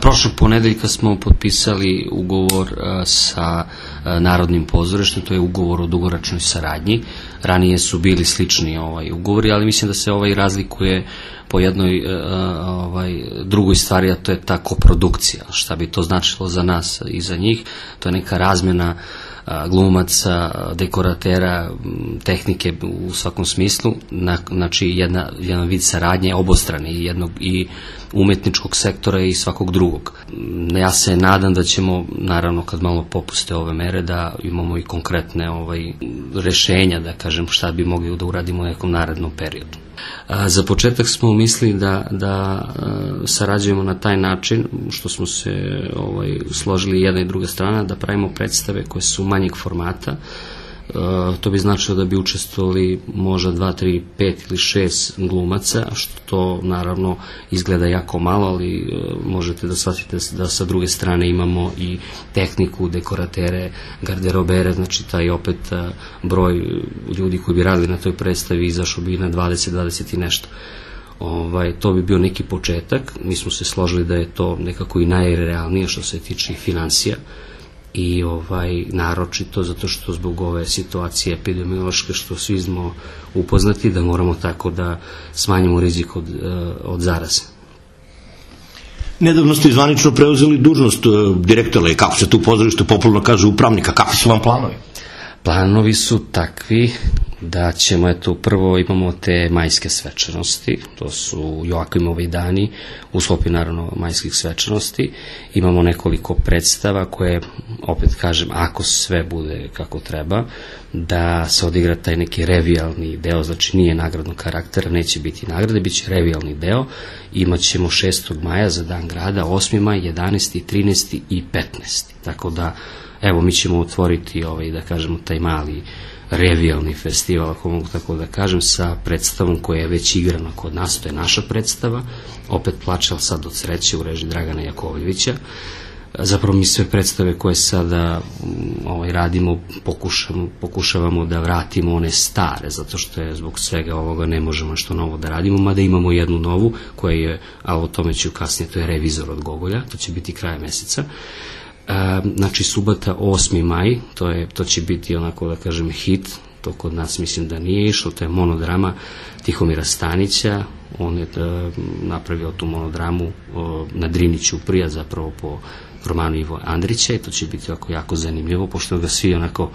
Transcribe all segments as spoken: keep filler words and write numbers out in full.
Prošlog ponedeljka smo potpisali ugovor sa Narodnim pozorištem, to je ugovor o dugoročnoj saradnji. Ranije su bili slični ovaj ugovori, ali mislim da se ovaj razlikuje po jednoj ovaj, drugoj stvari, a to je ta koprodukcija. Šta bi to značilo za nas i za njih? To je neka razmjena glumaca, dekoratera, tehnike u svakom smislu, znači jedna, jedan vid saradnje obostrane i jednog i umetničkog sektora i svakog drugog. Ja se nadam da ćemo, naravno kad malo popuste ove mere, da imamo i konkretne ovaj, rešenja, da kažem šta bi mogli da uradimo u nekom narednom periodu. A, za početak smo mislili da, da a, sarađujemo na taj način, što smo se ovaj, složili jedna i druga strana, da pravimo predstave koje su manjeg formata. A, to bi značilo da bi učestvovali možda dva, tri, pet ili šest glumaca, što to naravno izgleda jako malo, ali a, možete da shvatite da sa druge strane imamo i tehniku, dekoratere, garderobere, znači taj opet a, broj ljudi koji bi radili na toj predstavi izašao bi na dvadeset, dvadeset i nešto. Ovaj, to bi bio neki početak. Mi smo se složili da je to nekako i najrealnije što se tiče financija i ovaj naročito zato što zbog ove situacije epidemiološke što svi smo upoznati da moramo tako da smanjimo rizik od, od zaraze. Nedavno ste zvanično preuzeli dužnost direktora i kako se tu pozorište popularno kaže upravnika, kakvi su vam planovi? Planovi su takvi da ćemo, eto, prvo imamo te majske svečanosti, to su Joakimovi dani, u sklopu naravno majskih svečanosti, imamo nekoliko predstava koje, opet kažem, ako sve bude kako treba, da se odigra taj neki revijalni deo, znači nije nagradnog karaktera, neće biti nagrade, bit će revijalni deo, imat ćemo šestog maja za dan grada, osmi maj, jedanaesti, trinaesti i petnaesti. Tako da, evo, mi ćemo otvoriti, ovaj, da kažemo, taj mali revijalni festival, ako mogu tako da kažem, sa predstavom koja je već igrana kod nas, to je naša predstava, opet Plačal sad od sreće u režiji Dragana Jakovljevića. Zapravo mi sve predstave koje sada ovaj, radimo pokušamo, pokušavamo da vratimo one stare, zato što je zbog svega ovoga ne možemo što novo da radimo, mada imamo jednu novu koja je, a o tome ću kasnije, to je Revizor od Gogolja, to će biti kraja meseca. Znači subota osmi maj, to, je, to će biti onako da kažem hit, to kod nas mislim da nije išlo, to je monodrama Tihomira Stanića, on je da, napravio tu monodramu o, na Driniću prija, zapravo po romanu Ivo Andrića i to će biti jako, jako zanimljivo, pošto ga svi onako,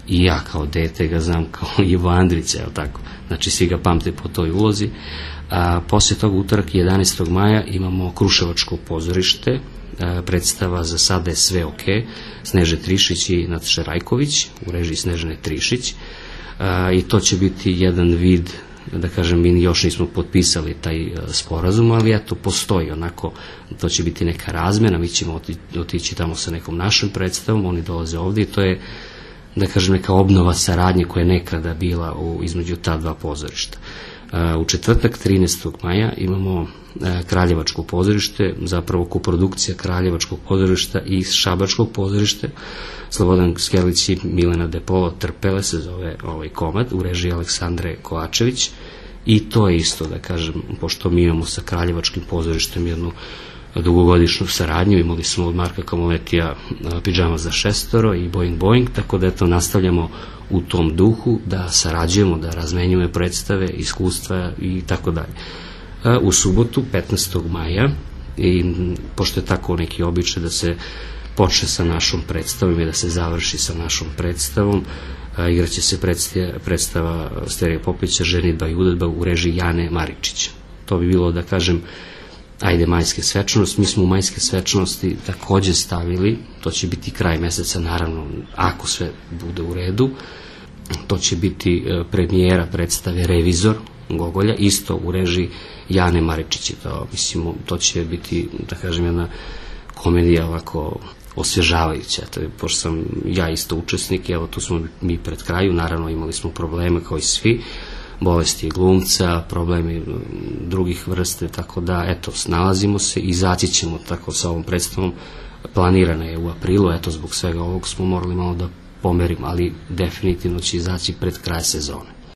i ja kao dete ga znam kao Ivo Andrića, je tako? Znači svi ga pamte po toj ulozi. A poslije toga utorak jedanaestog maja imamo Kruševačko pozorište, predstava Za sada je sve ok, Sneže Trišić i Nataša Rajković u režiji Snežane Trišić, i to će biti jedan vid, da kažem, mi još nismo potpisali taj sporazum, ali eto postoji onako, to će biti neka razmjena, mi ćemo otići tamo sa nekom našom predstavom, oni dolaze ovdje i to je, da kažem, neka obnova saradnje koja je nekada bila u, između ta dva pozorišta. U četvrtak trinaestog maja imamo Kraljevačko pozorište, zapravo koprodukcija Kraljevačkog pozorišta i Šabačkog pozorišta. Slobodan Skerlić i Milena Depolo, Trpele se zove ovaj komad u režiji Aleksandre Kovačević i to je isto, da kažem, pošto mi imamo sa Kraljevačkim pozorištem jednu dugogodišnju saradnju, imali smo od Marka Kamoletija Pidžama za šestoro i Boing Boing, tako da eto nastavljamo u tom duhu da sarađujemo, da razmenjujemo predstave, iskustva i tako dalje. U subotu petnaestog maja, i pošto je tako neki običaj da se počne sa našom predstavom i da se završi sa našom predstavom, igraće se predstava Sterije Popića Ženidba i udedba u režiji Jane Maričića. To bi bilo, da kažem, ajde, majske svečanosti. Mi smo u majske svečanosti takođe stavili, to će biti kraj meseca, naravno, ako sve bude u redu, to će biti premijera predstave Revizor Gogolja, isto u režiji Jane Maričića. To, mislim, to će biti, da kažem, jedna komedija ovako osvježavajuća. To je, pošto sam ja isto učesnik, evo tu smo mi pred kraju, naravno imali smo probleme kao i svi, bolesti glumca, problemi drugih vrste, tako da, eto, snalazimo se, izaći ćemo tako sa ovom predstavom, planirana je u aprilu, eto, zbog svega ovog smo morali malo da pomerimo, ali definitivno će izaći pred kraj sezone.